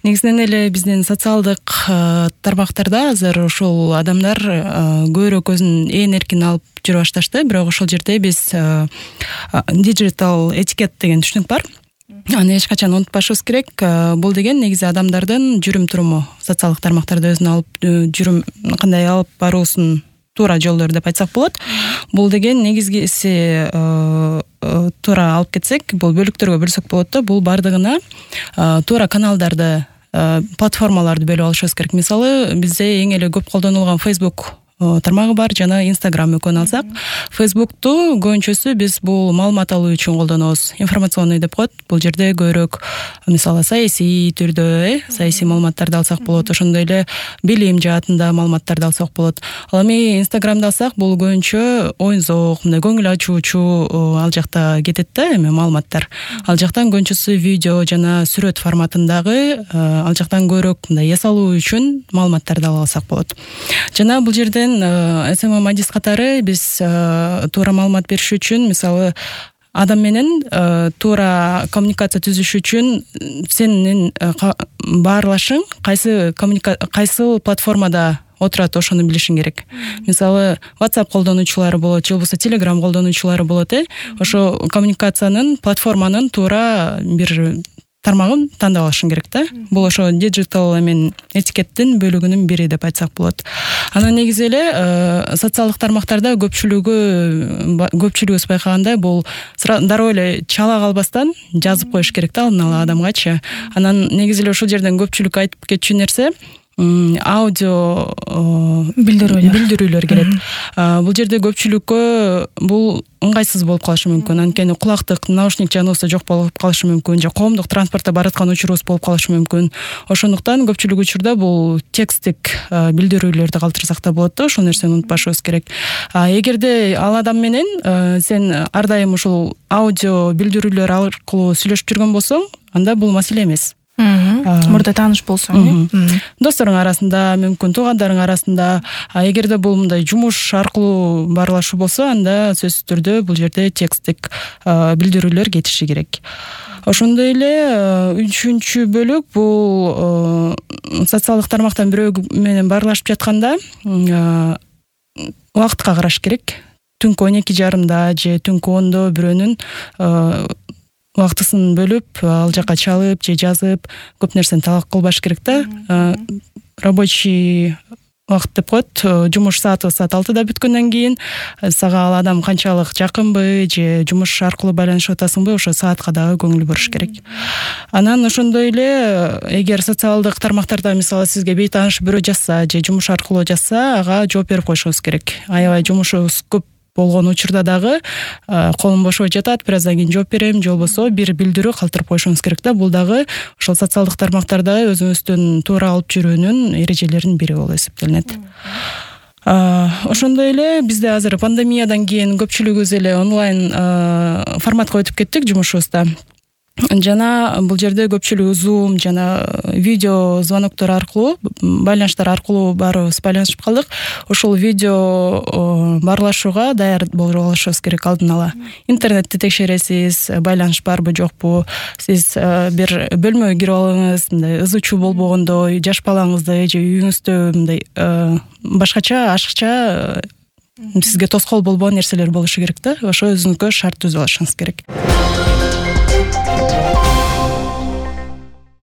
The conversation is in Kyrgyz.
Негизинен эле биздин социалдык тармактарда азыр ушул адамдар көбүрөөк өзүн эркин алып жүрө башташты. Бирок ошол жерде биз digital этикет деген түшүнүк бар. Аны эч качан унутпашыбыз керек. Бул деген негизи адамдардын жүрүм туруму, социалдык тармактарда өзүн алып жүрүм кандай алып баруусун туура жолдор деп айтсак болот. Бул деген негизгиси туура алып кетсек, бул бөлүктөргө бөлсөк болот да. Бул бардыгына туура каналдарды, платформаларды бөлүп алышыбыз керек. Мисалы, бизде эң эле көп колдонулган Facebook тармагы бар жана Instagram экөөнү алсак, Facebook'ту көбүнчөсү биз бул маалымат алуу үчүн колдонобуз. Информационный деп коет. Бул жерде көбүрөөк мисалы саясий түрдө, саясий маалыматтарды алсак болот. Ошондой эле билим жаатында маалыматтарды алсак болот. Ал эми Instagram'ды алсак, бул көбүнчө оюн-зоок, мындай көңүл ачуучу ал жакта кетет да, эми маалыматтар. Ал жактан көбүнчөсү видео жана сүрөт форматындагы ал жактан көбүрөөк мындай эс алуу үчүн маалыматтарды ала алсак болот. Жана бул жерде SMM адис катары биз туура маалымат бериш үчүн, мисалы, адам менен туура коммуникация түзүш үчүн сенин баарлашың кайсы платформада отурат, ошону билишиң керек. Мисалы, WhatsApp колдонуучулары болот, же болбосо Telegram колдонуучулары болот. Ошо коммуникациянын, платформанын туура бир тармагын тандап алышың керек да. Бул ошо digital этикеттин бөлүгүнүн бири деп айтсак болот. Анан негизи эле социалдык тармактарда көпчүлүгүбүз байкагандай, бул дароо эле чала калбастан жазып коюш керек да, алдын ала адамгачы. Анан негизи эле ушул жерден көпчүлүк айтып кетчү нерсе аудио билдирүүлөр келет. Бул жерде көпчүлүккө бул ыңгайсыз болуп калышы мүмкүн. Анткени кулактык, наушник жаныбызда жок болуп калышы мүмкүн, же коомдук транспортто бараткан учурубуз болуп калышы мүмкүн. Ошондуктан көпчүлүк учурда бул текстик билдирүүлөрдү калтырсак да болот да, ошол нерсени унутпашыбыз керек. Эгерде ал адам менен сен ар дайым ушул аудио билдирүүлөр аркылуу сүйлөшүп жүргөн болсоң, анда бул маселе эмес. Мурда тааныш болсоң, досторуң арасында, мүмкүн туугандарың арасында. Эгерде бул мындай жумуш аркылуу баарлашуу болсо, анда сөзсүз түрдө бул жерде текстик билдирүүлөр кетиши керек. Ошондой эле үчүнчү бөлүк бул социалдык тармактан бирөө менен баарлашып жатканда убакытка караш керек. Түнкү 12:30 же түнкү 10 бирөөнүн убактысын бөлүп, ал жака чалып же жазып, көп нерсени талак кылбаш керек да. Рабочий убакыт деп коет. Жумуш сааты саат 6-да бүткөндөн кийин сага ал адам канчалык жакынбы же жумуш аркылуу байланышып атасыңбы, ошо саатка дагы көңүл буруш керек. Анан ошондой эле эгер социалдык тармактарда мисалы сизге бейтааныш бирөө жазса же жумуш аркылуу жазса, ага жооп берип коюшуңуз керек. Аябай жумушубуз көп болгон учурда дагы колум бошобой жатат, бир аздан кийин жооп берем, же болбосо бир билдирүү калтырып коюшуңуз керек да. Бул дагы ошол социалдык тармактарда өзүңүздүн туура алып жүрүүнүн эрежелеринин бири болуп эсептелинет. Ошондой эле бизде азыр пандемиядан кийин көпчүлүгүбүз эле онлайн форматка өтүп кеттик жумушубузда. Жана бул жерде көпчүлүгү Zoom жана видео звоноктор аркылуу, байланыштар аркылуу баарыбыз байланышып калдык. Ошол видео баарлашууга даяр болуп алышыбыз керек алдын ала. Интернетти текшересиз, байланыш барбы жокпу, сиз бир бөлмөгө кирип алыңыз, мындай ызы-чуу болбогондой, жаш балаңызды же үйүңүздө мындай башкача, ашыкча сизге тоскоол болбогон нерселер болушу керек да. Ошо өзүңүзгө шарт түзүп алышыңыз керек.